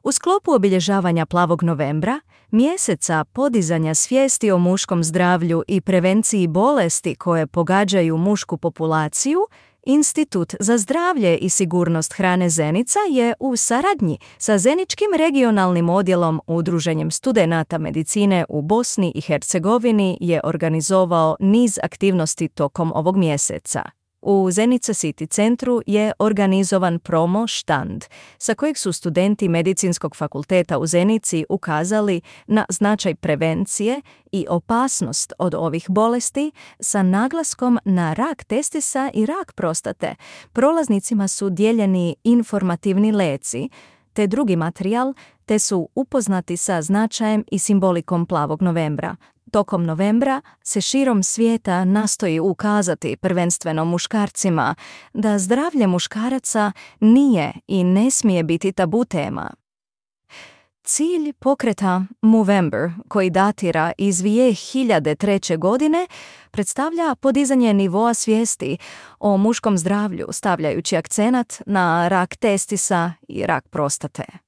U sklopu obilježavanja Plavog novembra, mjeseca podizanja svijesti o muškom zdravlju i prevenciji bolesti koje pogađaju mušku populaciju, Institut za zdravlje i sigurnost hrane Zenica je u saradnji sa Zeničkim regionalnim odjelom Udruženjem studenata medicine u Bosni i Hercegovini je organizovao niz aktivnosti tokom ovog mjeseca. U Zenica City centru je organizovan promo štand, sa kojeg su studenti Medicinskog fakulteta u Zenici ukazali na značaj prevencije i opasnost od ovih bolesti sa naglaskom na rak testisa i rak prostate. Prolaznicima su dijeljeni informativni leci te drugi materijal, te su upoznati sa značajem i simbolikom Plavog novembra. Tokom novembra se širom svijeta nastoji ukazati prvenstveno muškarcima da zdravlje muškaraca nije i ne smije biti tabu tema. Cilj pokreta Movember, koji datira iz 2003. godine, predstavlja podizanje nivoa svijesti o muškom zdravlju, stavljajući akcenat na rak testisa i rak prostate.